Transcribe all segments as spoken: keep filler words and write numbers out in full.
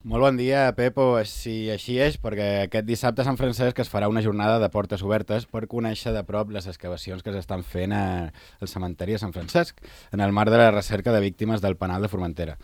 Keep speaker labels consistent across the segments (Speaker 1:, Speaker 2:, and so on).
Speaker 1: Molt bon dia, Pepo. Si així és, perquè aquest dissabte a Sant Francesc es farà una jornada de portes obertes per conèixer de prop les excavacions que s'estan fent al cementeri de Sant Francesc en el marc de la recerca de víctimes del penal de Formentera.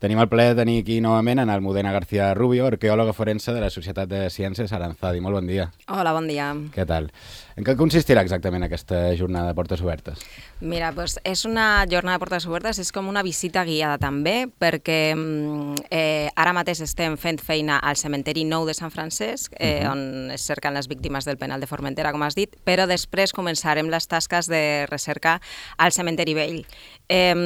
Speaker 1: Tenim el plaer de tenir aquí novament en Almudena García Rubio, arqueòloga forense de la Societat de Ciències Aranzadi. Molt bon dia.
Speaker 2: Hola, bon dia.
Speaker 1: Què tal? En què consistirà exactament aquesta jornada de portes obertes?
Speaker 2: Mira, doncs és una jornada de portes obertes, és com una visita guiada també, perquè eh, ara mateix estem fent feina al cementeri nou de Sant Francesc, eh, uh-huh. on es cerquen les víctimes del penal de Formentera, com has dit, però després començarem les tasques de recerca al cementeri vell. Eh,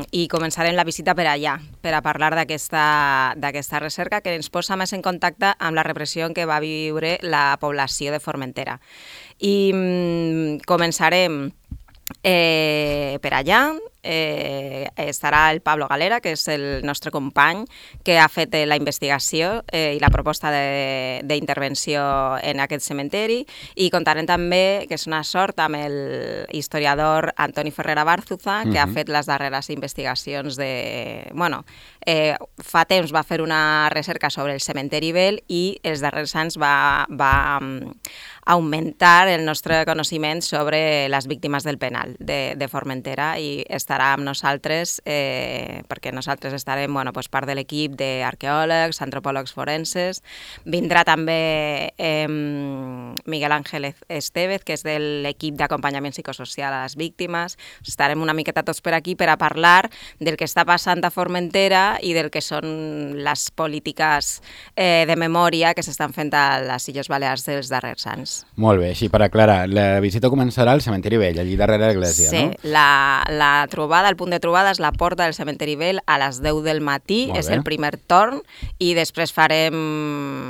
Speaker 2: I començarem la visita per allà, per a parlar d'aquesta d'aquesta recerca que ens posa més en contacte amb la repressió en què va viure la població de Formentera. I mm, començarem eh, per allà. Eh, estarà el Pablo Galera, que és el nostre company que ha fet la investigació eh, i la proposta d'intervenció en aquest cementeri, i contarem també, que és una sort, amb el historiador Antoni Ferrera Bárzuza, que uh-huh. ha fet les darreres investigacions de... Bueno, eh, fa temps va fer una recerca sobre el cementeri vell i els darrers anys va, va augmentar el nostre coneixement sobre les víctimes del penal de, de Formentera, i estarà amb nosaltres, eh, perquè nosaltres estarem bueno, pues part de l'equip d'arqueòlegs, antropòlegs forenses. Vindrà també eh, Miguel Ángel Estévez, que és de l'equip d'acompanyament psicosocial a les víctimes. Estarem una miqueta tots per aquí per a parlar del que està passant a Formentera i del que són les polítiques eh, de memòria que s'estan fent a les Illes Balears dels darrers anys.
Speaker 1: Molt bé, així per aclarar, la visita començarà al cementeri vell, allí darrere l'església,
Speaker 2: sí,
Speaker 1: no?
Speaker 2: Sí, la, la trobada, el punt de trobada és la porta del cementeri vell a les deu del matí, és el primer torn, i després farem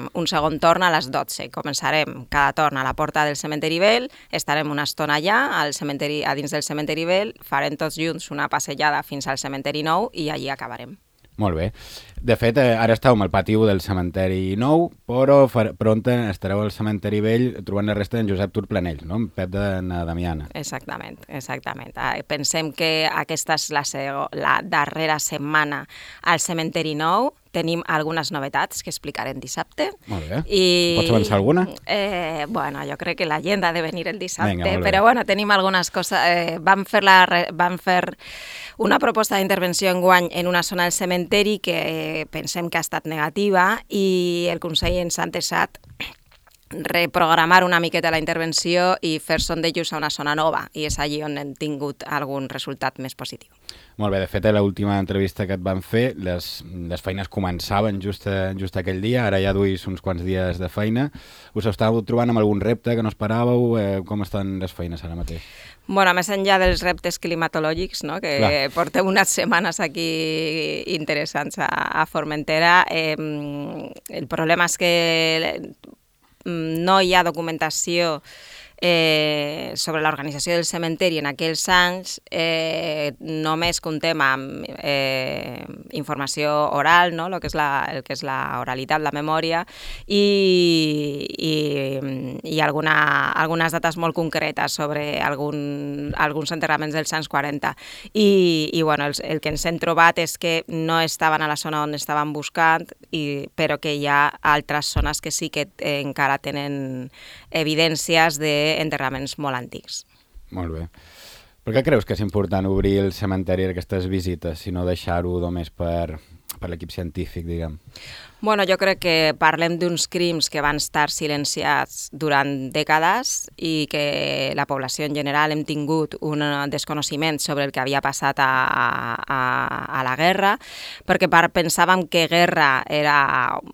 Speaker 2: un segon torn a les dotze. Començarem cada torn a la porta del cementeri vell, estarem una estona allà, al cementeri, a dins del cementeri vell, farem tots junts una passejada fins al cementeri nou i allí acabarem.
Speaker 1: Molt bé. De fet, ara estàvem al pati del cementeri nou, però pront estareu al cementeri vell trobant la resta d'en Josep Turplanell, no? En Pep de na Damiana.
Speaker 2: Exactament, exactament. Pensem que aquesta és la, la darrera setmana al cementeri nou. Tenim algunes novetats que explicarem dissabte.
Speaker 1: Molt bé.
Speaker 2: I,
Speaker 1: Pots avançar alguna?
Speaker 2: Eh, bueno, jo crec que la gent ha de venir el dissabte,
Speaker 1: Vinga,
Speaker 2: però bueno, tenim algunes coses. Eh, vam, fer la, vam fer una proposta d'intervenció enguany en una zona del cementeri que eh, pensem que ha estat negativa, i el Consell ens ha entesat reprogramar una miqueta la intervenció i fer sondejos a una zona nova, i és allí on hem tingut algun resultat més positiu.
Speaker 1: Molt bé, de fet, a l'última entrevista que et van fer, les, les feines començaven just, just aquell dia, ara ja duis uns quants dies de feina. Us estàveu trobant amb algun repte que no esperàveu? Eh, com estan les feines ara mateix?
Speaker 2: Bueno, més enllà dels reptes climatològics, no? Que Clar. portem unes setmanes aquí interessants a, a Formentera, eh, el problema és que no hi ha documentació eh, sobre l'organització del cementeri en aquells anys. Eh, només contem amb eh, informació oral, no? el, que és la, el que és la oralitat, la memòria, i, i, i alguna, algunes dates molt concretes sobre algun, alguns enterraments dels anys quaranta. I, i bueno, el, el que ens hem trobat és que no estaven a la zona on estaven buscant, i, però que hi ha altres zones que sí que eh, encara tenen evidències d'enterraments molt antics.
Speaker 1: Molt bé. Per què creus que és important obrir el cementeri a aquestes visites i no deixar-ho només per, per l'equip científic, diguem?
Speaker 2: Bueno, jo crec que parlem d'uns crims que van estar silenciats durant dècades i que la població en general hem tingut un desconeixement sobre el que havia passat a, a, a la guerra, perquè pensàvem que guerra era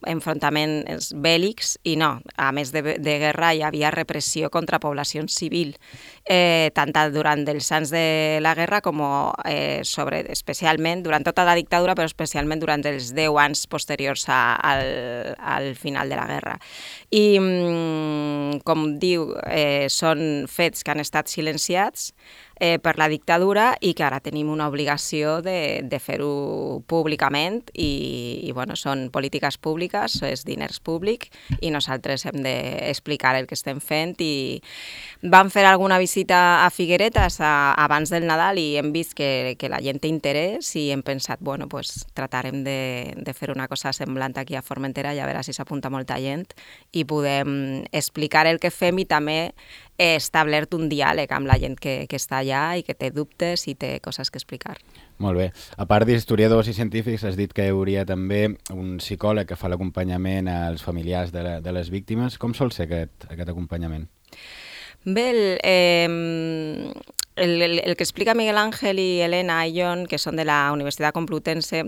Speaker 2: enfrontaments bèl·lics, i no. A més de, de guerra hi havia repressió contra població civil, eh, tant durant els anys de la guerra com eh, sobre, especialment durant tota la dictadura, però especialment durant els deu anys posteriors a Al, al final de la guerra. I, com diu, eh, són fets que han estat silenciats, eh, per la dictadura i que ara tenim una obligació de, de fer-ho públicament i, i bueno, són polítiques públiques, és diners públics i nosaltres hem d'explicar el que estem fent i vam fer alguna visita a Figueretes a, abans del Nadal i hem vist que, que la gent té interès i hem pensat, bueno, pues tratarem de, de fer una cosa semblant aquí a Formentera i a veure si s'apunta molta gent i podem explicar el que fem i també he establert un diàleg amb la gent que, que està allà i que té dubtes i té coses que explicar.
Speaker 1: Molt bé. A part d'historiadors i científics, has dit que hi hauria també un psicòleg que fa l'acompanyament als familiars de, la, de les víctimes. Com sol ser aquest, aquest acompanyament?
Speaker 2: Bé, el, eh, el, el, el que explica Miguel Ángel i Elena Ayllón, que són de la Universitat Complutense,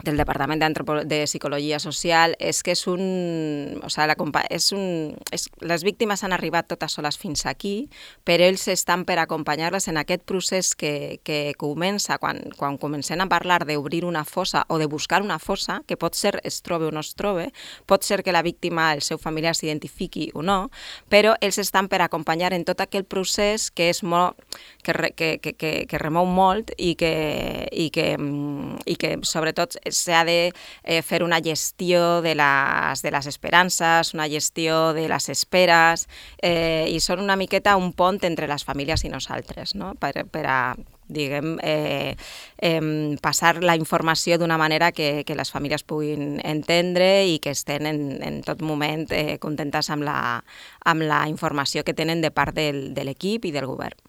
Speaker 2: del Departament de Psicologia Social, és que és un... O sigui, la, és un és, les víctimes han arribat totes soles fins aquí, però ells estan per acompanyar-les en aquest procés que, que comença quan, quan comencem a parlar d'obrir una fossa o de buscar una fossa, que pot ser es trobe o no es trobe, pot ser que la víctima, el seu familiar s'identifiqui o no, però ells estan per acompanyar en tot aquell procés que és molt... que, que, que, que, que remou molt i que, i que, i que sobretot s'ha de eh, fer una gestió de les, de les esperances, una gestió de les esperes, eh, i són una miqueta un pont entre les famílies i nosaltres, no? per, per a diguem, eh, eh, passar la informació d'una manera que, que les famílies puguin entendre i que estén en, en tot moment eh, contentes amb la, amb la informació que tenen de part del, de l'equip i del govern.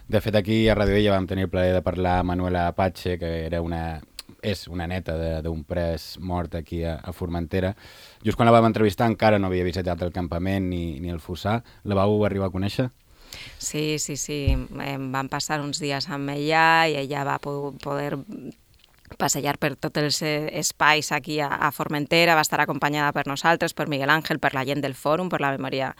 Speaker 1: De fet, aquí a Radio Ella vam tenir el plaer de parlar amb Manuela Apache, que era una... és una neta d'un pres mort aquí a, a Formentera. Just quan la vam entrevistar encara no havia visitat el campament ni, ni el fossar. La vau arribar a conèixer?
Speaker 2: Sí, sí, sí. Em van passar uns dies amb ella i ella va poder passejar per tots els espais aquí a, a Formentera, va estar acompanyada per nosaltres, per Miguel Ángel, per la gent del Fòrum, per la memòria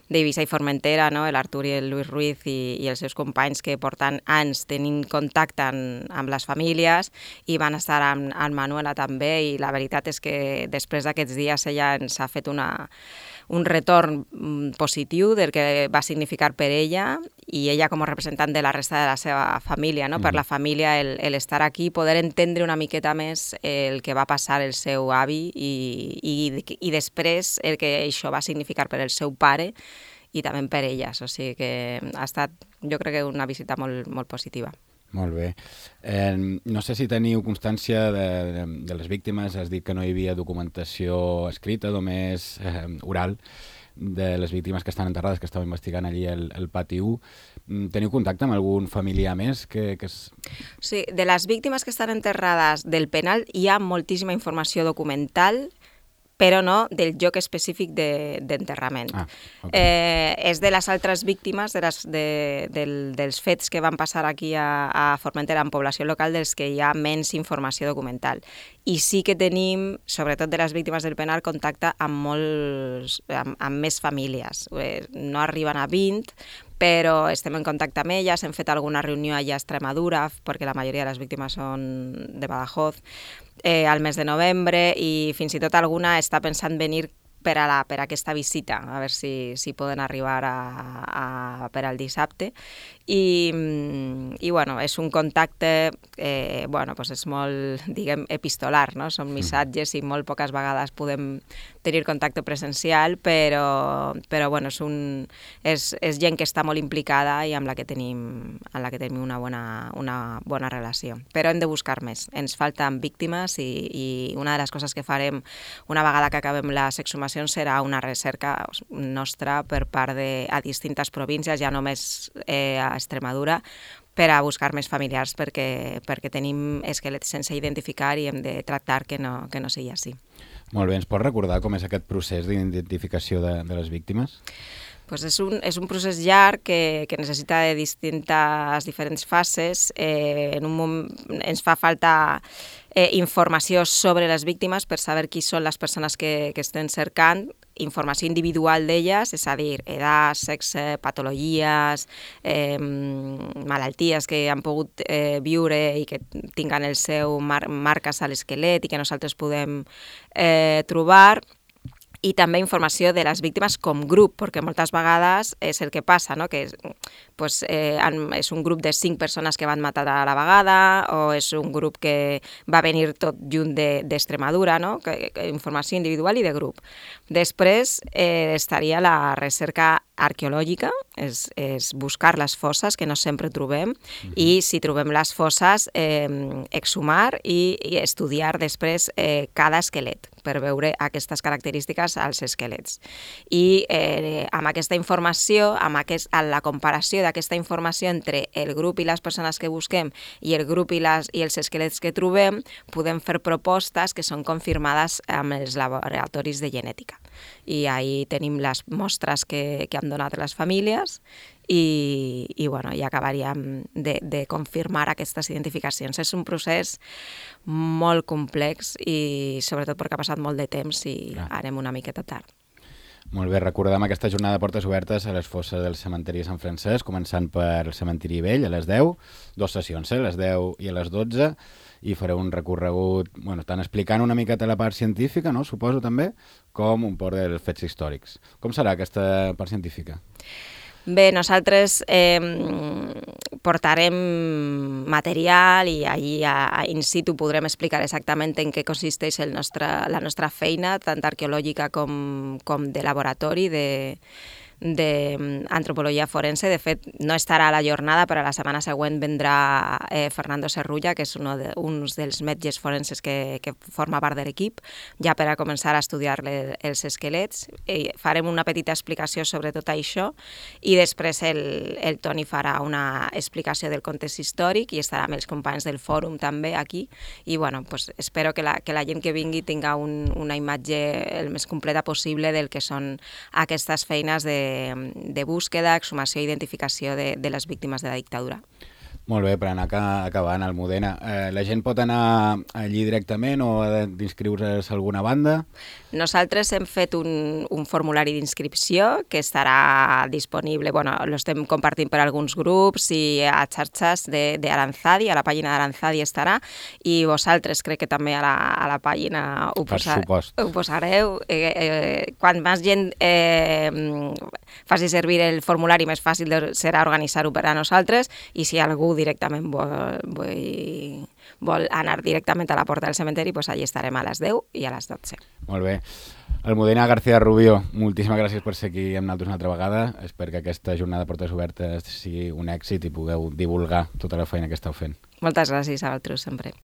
Speaker 2: d'Eivissa i Formentera, no? l'Artur i el Lluís Ruiz i, i els seus companys que porten anys tenint contacte amb, amb les famílies i van estar amb, amb Manuela també i la veritat és que després d'aquests dies ella ens ha fet una... un retorn positiu del que va significar per ella i ella com a representant de la resta de la seva família, no? Mm. Per la família el, el estar aquí, poder entendre una miqueta més el que va passar el seu avi i, i, i després el que això va significar per el seu pare i també per elles, o sigui que ha estat jo crec que una visita molt, molt positiva.
Speaker 1: Molt bé. Eh, no sé si teniu constància de, de, de les víctimes, has dit que no hi havia documentació escrita, només eh, oral, de les víctimes que estan enterrades, que estàu investigant allí el, el pati u. Teniu contacte amb algun familiar més? Que, que és...
Speaker 2: Sí, de les víctimes que estan enterrades del penal hi ha moltíssima informació documental, però no del lloc específic d'enterrament. De, ah, okay. eh, és de les altres víctimes de les, de, del, dels fets que van passar aquí a, a Formentera en població local dels que hi ha menys informació documental. I sí que tenim, sobretot de les víctimes del penal, contacte amb, molts, amb, amb més famílies. Eh, no arriben a vint, però estem en contacte amb elles, hem fet alguna reunió allà a Extremadura, perquè la majoria de les víctimes són de Badajoz, eh, al mes de novembre, i fins i tot alguna està pensant venir per, a la, per a aquesta visita, a veure si, si poden arribar a, a, per al dissabte. I, i bueno, és un contacte, eh, bueno, pues és molt, diguem, epistolar, no? Són missatges i molt poques vegades podem tenir contacte presencial, però, però bueno, és, un, és, és gent que està molt implicada i amb la que tenim, amb la que tenim una, bona, una bona relació. Però hem de buscar més. Ens falten víctimes i, i una de les coses que farem una vegada que acabem les exhumacions serà una recerca nostra per part de a distintes províncies, ja només eh, a Extremadura, per a buscar més familiars perquè, perquè tenim esquelets sense identificar i hem de tractar que no, que no sigui així.
Speaker 1: Molt bé, ens pots recordar com és aquest procés d'identificació de, de les víctimes?
Speaker 2: Pues és, un, és un procés llarg que, que necessita de distintes diferents fases. Eh, en un moment ens fa falta eh, informació sobre les víctimes per saber qui són les persones que, que estem cercant, informació individual d'elles, és a dir, edat, sexe, patologies, eh, malalties que han pogut eh, viure i que tinguen el seu mar marques a l'esquelet i que nosaltres podem eh, trobar. i també informació de les víctimes com grup, perquè moltes vegades és el que passa, no? Que és, pues, eh, és un grup de cinc persones que van matar a la vegada o és un grup que va venir tot junt d'Extremadura, no? Que, que, informació individual i de grup. Després eh, estaria la recerca arqueològica, és, és buscar les fosses, que no sempre trobem, uh-huh. i si trobem les fosses, eh, exhumar i, i estudiar després eh, cada esquelet per veure aquestes característiques als esquelets. I eh, amb aquesta informació, amb, aquest, amb la comparació d'aquesta informació entre el grup i les persones que busquem i el grup i, les, i els esquelets que trobem, podem fer propostes que són confirmades amb els laboratoris de genètica. I ahí tenim les mostres que, que han donat les famílies i, i, bueno, i acabaríem de, de confirmar aquestes identificacions. És un procés molt complex i sobretot perquè ha passat molt de temps i Clar. anem una miqueta tard.
Speaker 1: Molt bé, recordem aquesta jornada de portes obertes a les fosses del cementiri de Sant Francesc, començant per el cementiri vell a les deu, dues sessions, eh? a les deu i a les dotze, i fareu un recorregut, bueno, tant explicant una miqueta la part científica, no? Suposo també, com un poc dels fets històrics. Com serà aquesta part científica?
Speaker 2: Bé, nosaltres eh, portarem material i allí a, a in situ podrem explicar exactament en què consisteix el nostre, la nostra feina, tant arqueològica com, com de laboratori, de d'antropologia forense. De fet, no estarà a la jornada, però la setmana següent vendrà eh, Fernando Serrulla, que és un de, un dels metges forenses que, que forma part de l'equip, ja per a començar a estudiar le, els esquelets. I farem una petita explicació sobre tot això i després el, el Toni farà una explicació del context històric i estarà amb els companys del fòrum també aquí. I bueno, pues, espero que la, que la gent que vingui tinga un, una imatge el més completa possible del que són aquestes feines de de búsqueda, exhumació i identificació de, de les víctimes de la dictadura.
Speaker 1: Molt bé, per anar acabant, Almudena. Eh, la gent pot anar allí directament o ha d'inscriure's a alguna banda?
Speaker 2: Nosaltres hem fet un, un formulari d'inscripció que estarà disponible, bueno, lo estem compartint per alguns grups i a xarxes d'Aranzadi, a la pàgina d'Aranzadi estarà, i vosaltres crec que també a la, a la pàgina ho, posar, ho posareu. Eh, eh, quan més gent eh, faci servir el formulari, més fàcil serà organitzar-ho per a nosaltres, i si algú directament vol, vol, vol anar directament a la porta del cementeri, doncs allà estarem a les deu i a les dotze.
Speaker 1: Molt bé. Almudena García Rubio, moltíssimes gràcies per ser aquí amb nosaltres una altra vegada. Espero que aquesta jornada de portes obertes sigui un èxit i pugueu divulgar tota la feina que esteu fent.
Speaker 2: Moltes gràcies a vosaltres sempre.